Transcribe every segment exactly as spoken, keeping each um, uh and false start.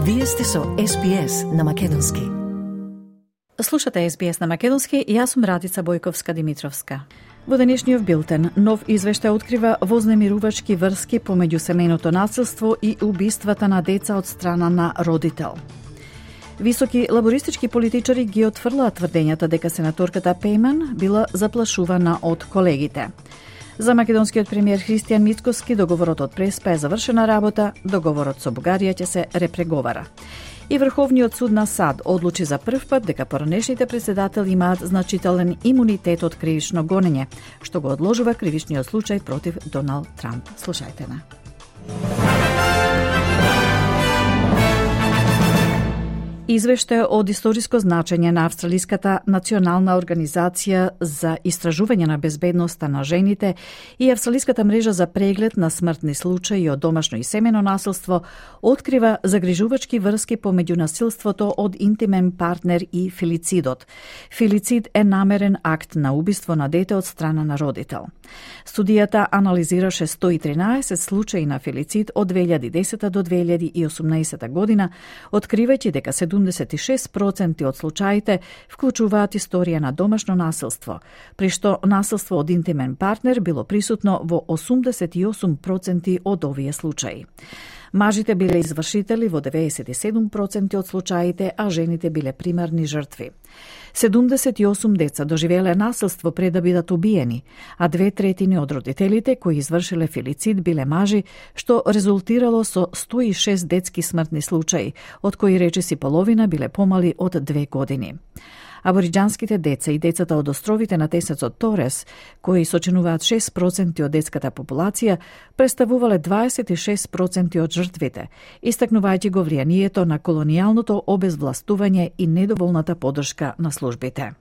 Вие сте со Ес Би Ес на Македонски. Слушате Ес Би Ес на Македонски и јас сум Радица Бојковска-Димитровска. Во денешниот билтен, нов извештај открива вознемирувачки врски помеѓу семејното насилство и убиствата на деца од страна на родител. Високи лабористички политичари ги отфрлаа тврдењата дека сенаторката Пејман била заплашувана од колегите. За македонскиот премиер Христијан Мицкоски договорот од Преспа е завршена работа, договорот со Бугарија ќе се репреговара. И Врховниот суд на САД одлучи за прв пат дека поранешните председатели имаат значителен имунитет од кривично гонење, што го одложува кривичниот случај против Доналд Трамп. Слушајте на. Извештај од историско значење на Австралиската национална организација за истражување на безбедноста на жените и Австралиската мрежа за преглед на смртни случаи од домашно и семено насилство открива загрижувачки врски помеѓу насилството од интимен партнер и филицидот. Филицид е намерен акт на убиство на дете од страна на родител. Студијата анализираше сто и тринаесет случаи на филицид од две илјади и десета до две илјади и осумнаесета година, откривајќи дека седумдесет и шест проценти од случаите вклучуваат историја на домашно насилство, при што насилство од интимен партнер било присутно во осумдесет и осум проценти од овие случаи. Мажите биле извршители во деветдесет и седум проценти од случаите, а жените биле примарни жртви. седумдесет и осум деца доживеле насилство пред да бидат убиени, а две третини од родителите кои извршиле филицид биле мажи, што резултирало со сто и шест детски смртни случаи, од кои речиси половина биле помали од две години. Абориџанските деца и децата од островите на тесецот Торес, кои сочинуваат шест проценти од детската популација, представувале дваесет и шест проценти од жртвите, истакнувајќи го влијанието на колонијалното обезвластување и недоволната поддршка на службите.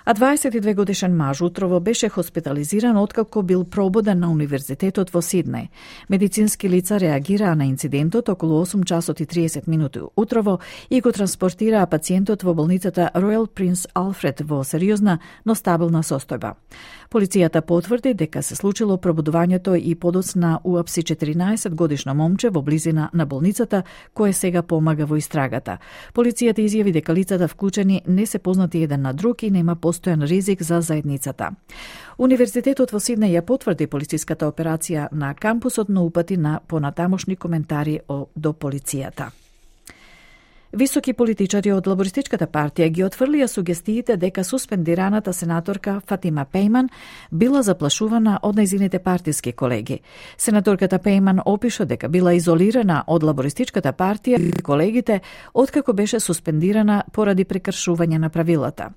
А дваесет и две годишен маж утрово беше хоспитализиран откако бил пробуден на Универзитетот во Сиднеј. Медицински лица реагираа на инцидентот околу осум часот и триесет минути утрово и го транспортираа пациентот во болницата Ројал Принц Алфред во сериозна, но стабилна состојба. Полицијата потврди дека се случило пробудувањето и подоцна уапси четиринаесет годишно момче во близина на болницата, кое сега помага во истрагата. Полицијата изјави дека лицата вклучени не се познати еден на друг и нема постојан ризик за заедницата. Универзитетот во Сиднеј ја потврди полициската операција на кампусот, но упати на понатамошни коментари до полицијата. Високи политичари од Лабористичката партија ги отфрлија сугестиите дека суспендираната сенаторка Фатима Пејман била заплашувана од нејзините партиски колеги. Сенаторката Пејман опиша дека била изолирана од Лабористичката партија и колегите откако беше суспендирана поради прекршување на правилата.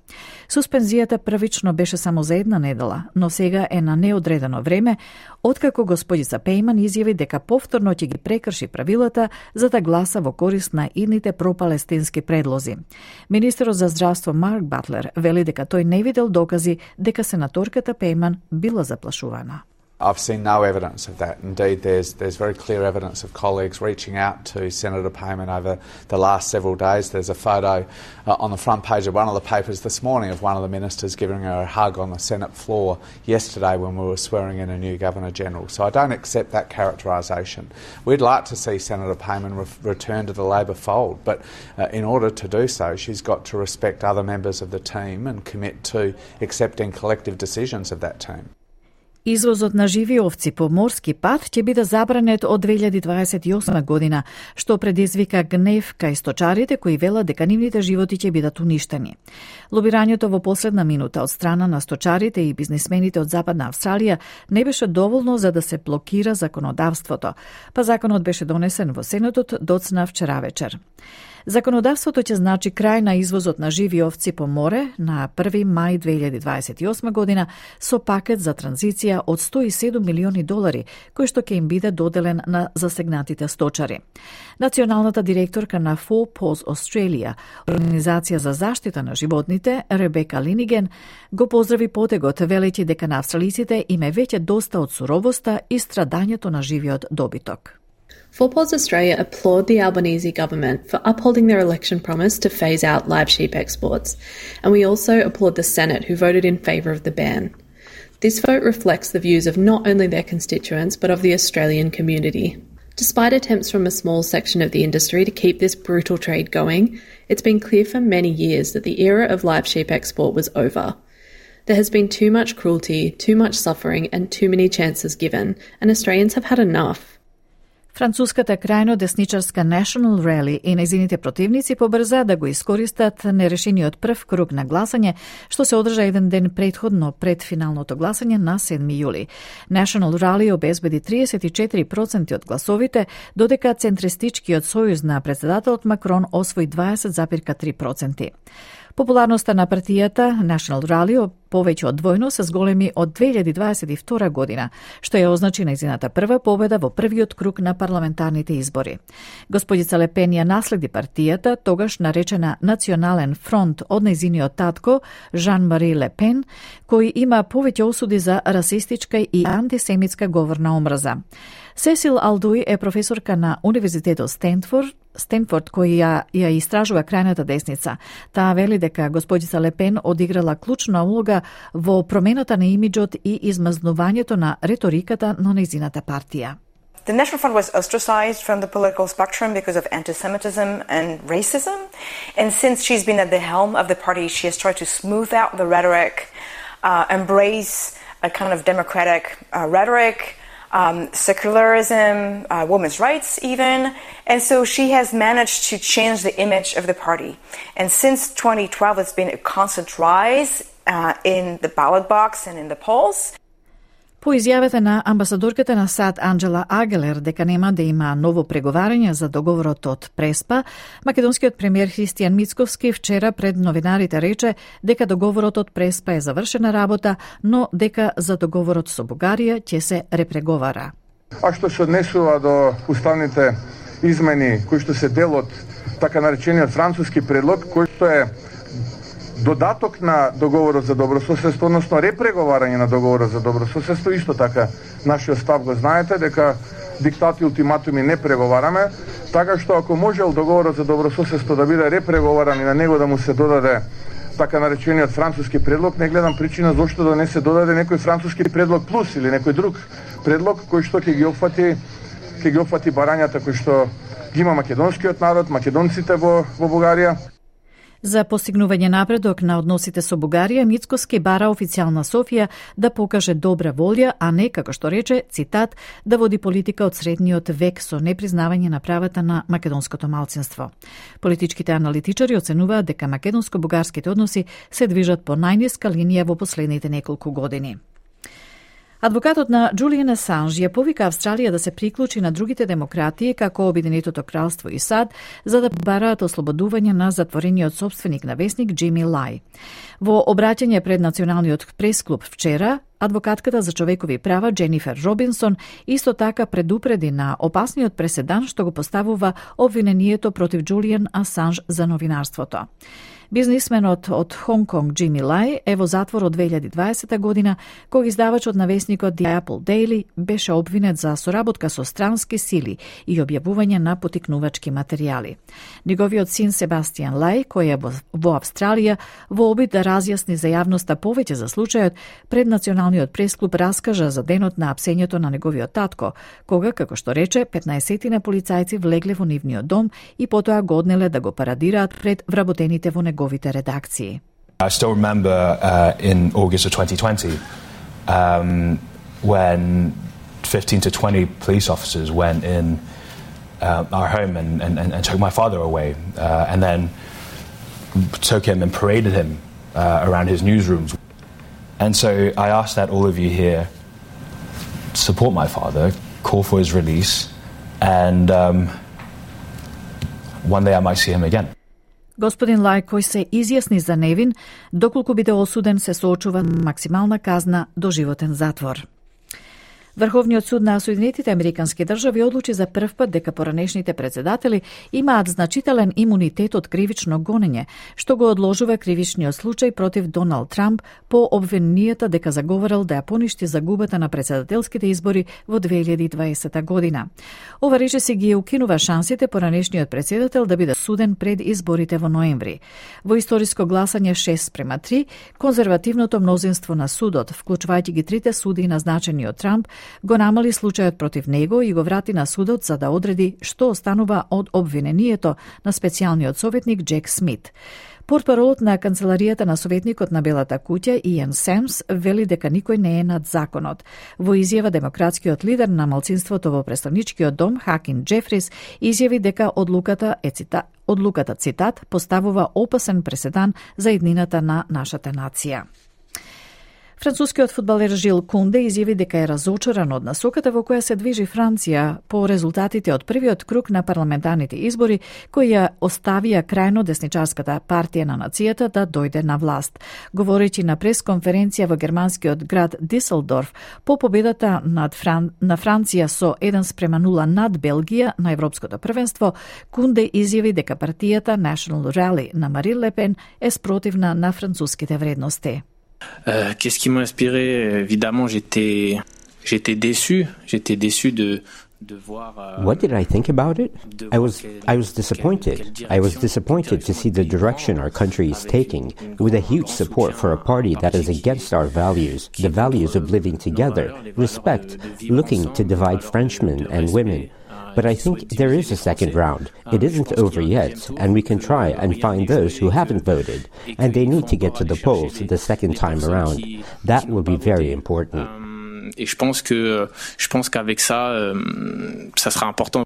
Суспензијата првично беше само за една недела, но сега е на неодредено време, откако господица Пејман изјави дека повторно ќе ги прекрши правилата за да гласа во корист на идните пропалестински предлози. Министерот за здравство Марк Батлер вели дека тој не видел докази дека сенаторката Пејман била заплашувана. I've seen no evidence of that. Indeed, there's there's very clear evidence of colleagues reaching out to Senator Payman over the last several days. There's a photo uh, on the front page of one of the papers this morning of one of the ministers giving her a hug on the Senate floor yesterday when we were swearing in a new Governor-General. So I don't accept that characterisation. We'd like to see Senator Payman re- return to the Labor fold, but uh, in order to do so, she's got to respect other members of the team and commit to accepting collective decisions of that team. Извозот на живи овци по морски пат ќе биде забранет од две илјади дваесет и осма година, што предизвика гнев кај сточарите кои велат дека нивните животи ќе бидат уништени. Лобирањето во последна минута од страна на сточарите и бизнисмените од Западна Австралија не беше доволно за да се блокира законодавството, па законот беше донесен во Сенатот доцна вчера вечер. Законодавството ќе значи крај на извозот на живи овци по море на први мај две илјади дваесет и осма година со пакет за транзиција од сто и седум милиони долари, кој што ќе им биде доделен на засегнатите сточари. Националната директорка на Four Paws Australia, организација за заштита на животните, Ребека Линиген, го поздрави потегот, велејќи дека на австралиците им е веќе доста од суровоста и страдањето на живиот добиток. Four Paws Australia applaud the Albanese government for upholding their election promise to phase out live sheep exports, and we also applaud the Senate who voted in favour of the ban. This vote reflects the views of not only their constituents but of the Australian community. Despite attempts from a small section of the industry to keep this brutal trade going, it's been clear for many years that the era of live sheep export was over. There has been too much cruelty, too much suffering, and too many chances given, and Australians have had enough. Француската крајно десничарска National Rally и нејзините противници побрза да го искористат нерешениот прв круг на гласање, што се одржа еден ден претходно пред финалното гласање на седми јули. National Rally обезбеди триесет и четири проценти од гласовите, додека центристичкиот сојуз на председателот Макрон освои дваесет зарез три проценти. Популарноста на партијата National Rally повеќе од двојно се зголеми од две илјади дваесет и втора година, што ја означи нејзината прва победа во првиот круг на парламентарните избори. Господица Ле Пен ја наследи партијата, тогаш наречена Национален фронт од нејзиниот татко Жан-Мари Ле Пен, кој има повеќе осуди за расистичка и антисемитска говор на омраза. Сесил Алдуј е професорка на Универзитетот Стенфорд, Стенфорд кој ја, ја истражува крајната десница. Таа вели дека господица Ле Пен одиграла клучна улога во промената на имиџот и измазнувањето на реториката на нејзината партија. The National Front was ostracized from the political spectrum because of anti-Semitism and racism. And since she's been at the helm of the party, she has tried to smooth out the rhetoric, uh, embrace a kind of democratic uh, rhetoric, Um, secularism, uh, women's rights even, and so she has managed to change the image of the party. And since twenty twelve, it's been a constant rise uh, in the ballot box and in the polls. По изјавата на амбасадорката на САД Анџела Агелер дека нема да има ново преговарање за договорот од Преспа, македонскиот премиер Христијан Мицковски вчера пред новинарите рече дека договорот од Преспа е завршена работа, но дека за договорот со Бугарија ќе се репреговара. А што се однесува до уставните измени кои што се дел од така наречениот француски предлог, кој што е додаток на договорот за добрососедство, односно репреговарање на договорот за добрососедство, исто така нашиот став го знаете, дека диктати и ултиматуми не преговараме, така што ако можел договорот за добрососедство да биде репреговаран и на него да му се додаде така наречениот француски предлог, не гледам причина зошто да не се додаде некој француски предлог плюс или некој друг предлог кој што ќе ги опфати ќе ги опфати барањата кои што ги има македонскиот народ, македонците во во Бугарија. За постигнување напредок на односите со Бугарија, Мицковски бара официјална Софија да покаже добра волја, а не, како што рече, цитат, да води политика од средниот век со непризнавање на правата на македонското малцинство. Политичките аналитичари оценуваат дека македонско-бугарските односи се движат по најниска линија во последните неколку години. Адвокатот на Джулијан Асанж ја повика Австралија да се приклучи на другите демократии како Обединетото кралство и САД за да бараат ослободување на затворениот собственик на весник Џими Лај. Во обраќање пред Националниот пресклуб вчера, адвокатката за човекови права Дженифер Робинсон исто така предупреди на опасниот преседан што го поставува обвинението против Джулијан Асанж за новинарството. Бизнисменот од Хонг Конг Џими Лај е во затвор од две илјади дваесета година, кога издавачот на весникот The Apple Daily беше обвинет за соработка со странски сили и објавување на потикнувачки материјали. Неговиот син Себастијан Лај, кој е во Австралија, во обид да разјасни за јавноста повеќе за случајот, пред Националниот пресклуб раскажа за денот на апсењето на неговиот татко, кога, како што рече, петнаесет на полицајци влегле во нивниот дом и потоа го однеле да го парадираат пред вработените во неговиот redakcji. I still remember uh, in August of twenty twenty um, when fifteen to twenty police officers went in uh, our home and, and, and took my father away uh, and then took him and paraded him uh, around his newsrooms. And so I ask that all of you here support my father, call for his release, and um, one day I might see him again. Господин Лај, кој се изјасни за невин, доколку биде осуден, се соочува максимална казна до животен затвор. Врховниот суд на Соединетите Американски држави одлучи за прв пат дека поранешните председатели имаат значителен имунитет од кривично гонење, што го одложува кривичниот случај против Доналд Трамп по обвиненијата дека заговорил да ја поништи загубата на председателските избори во две илјади и дваесета година. Ова решение ги укинува шансите поранешниот председател да биде суден пред изборите во ноември. Во историско гласање шест спрема три, конзервативното мнозинство на судот, вклучувајќи ги трите суди назначени од Трамп, го намали случајот против него и го врати на судот за да одреди што останува од обвинението на специјалниот советник Джек Смит. Портпаролот на канцеларијата на советникот на Белата куќа Иан Семс вели дека никој не е над законот. Во изјава демократскиот лидер на малцинството во представничкиот дом Хакин Джефрис изјави дека одлуката е цита, одлуката цитат поставува опасен преседан за иднината на нашата нација. Францускиот фудбалер Жил Кунде изјави дека е разочаран од насоката во која се движи Франција по резултатите од првиот круг на парламентарните избори, кои ја оставија крајно десничарската партија на нацијата да дојде на власт. Говорејќи на пресконференција во германскиот град Диселдорф по победата над Фран... на Франција со еден спрема нула над Белгија на Европското првенство, Кунде изјави дека партијата National Rally на Марин Ле Пен е спротивна на француските вредности. Euh, qu'est-ce qui m'a inspiré? Évidemment, j'étais, j'étais déçu. J'étais déçu de, de voir. Euh, what did I think about it? I was, I was disappointed. I was disappointed to see the direction our country is taking, with a huge support for a party that is against our values, the values of living together, respect, looking to divide Frenchmen and women. But I think there is a second round. It isn't over yet, and we can try and find those who haven't voted, and they need to get to the polls the second time around. That will be very important. Et je pense que, je pense qu'avec ça, ça sera important.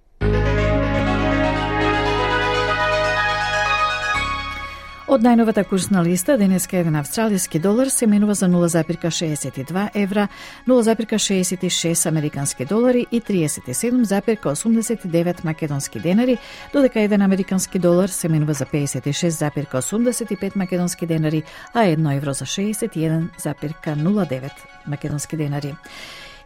Од најновата курсна листа, денеска еден австралиски долар се менува за нула запирка шеесет и два евра, нула запирка шеесет и шест американски долари и триесет и седум запирка осумдесет и девет македонски денари, додека еден американски долар се менува за пеесет и шест запирка осумдесет и пет македонски денари, а едно евро за шеесет и еден запирка нула девет македонски денари.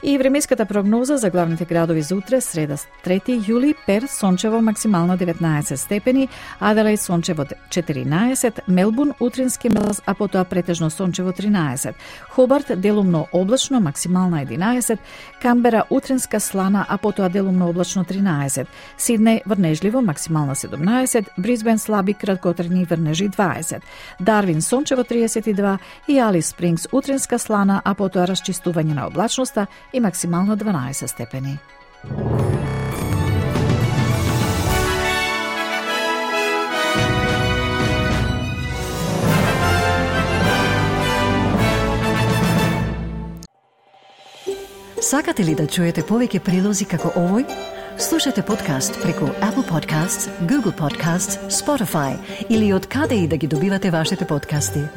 И времеската прогноза за главните градови за утре, среда трети јули, Перт сончево максимално деветнаесет степени, Аделаид сончево четиринаесет, Мелбурн утрински мраз, а потоа претежно сончево тринаесет, Хобарт делумно облачно максимална единаесет, Камбера утринска слана, а потоа делумно облачно тринаесет, Сиднеј врнежливо максимална седумнаесет, Брисбен слаби краткотрени врнежи дваесет, Дарвин сончево триесет и два и Алис Спрингс утринска слана, а потоа расчистување на облачноста и максимално дванаесет степени. Сакате ли да чуете повеќе прилози како овој? Слушате подкаст преку Apple Podcasts, Google Podcasts, Spotify или од каде и да ги добивате вашите подкасти.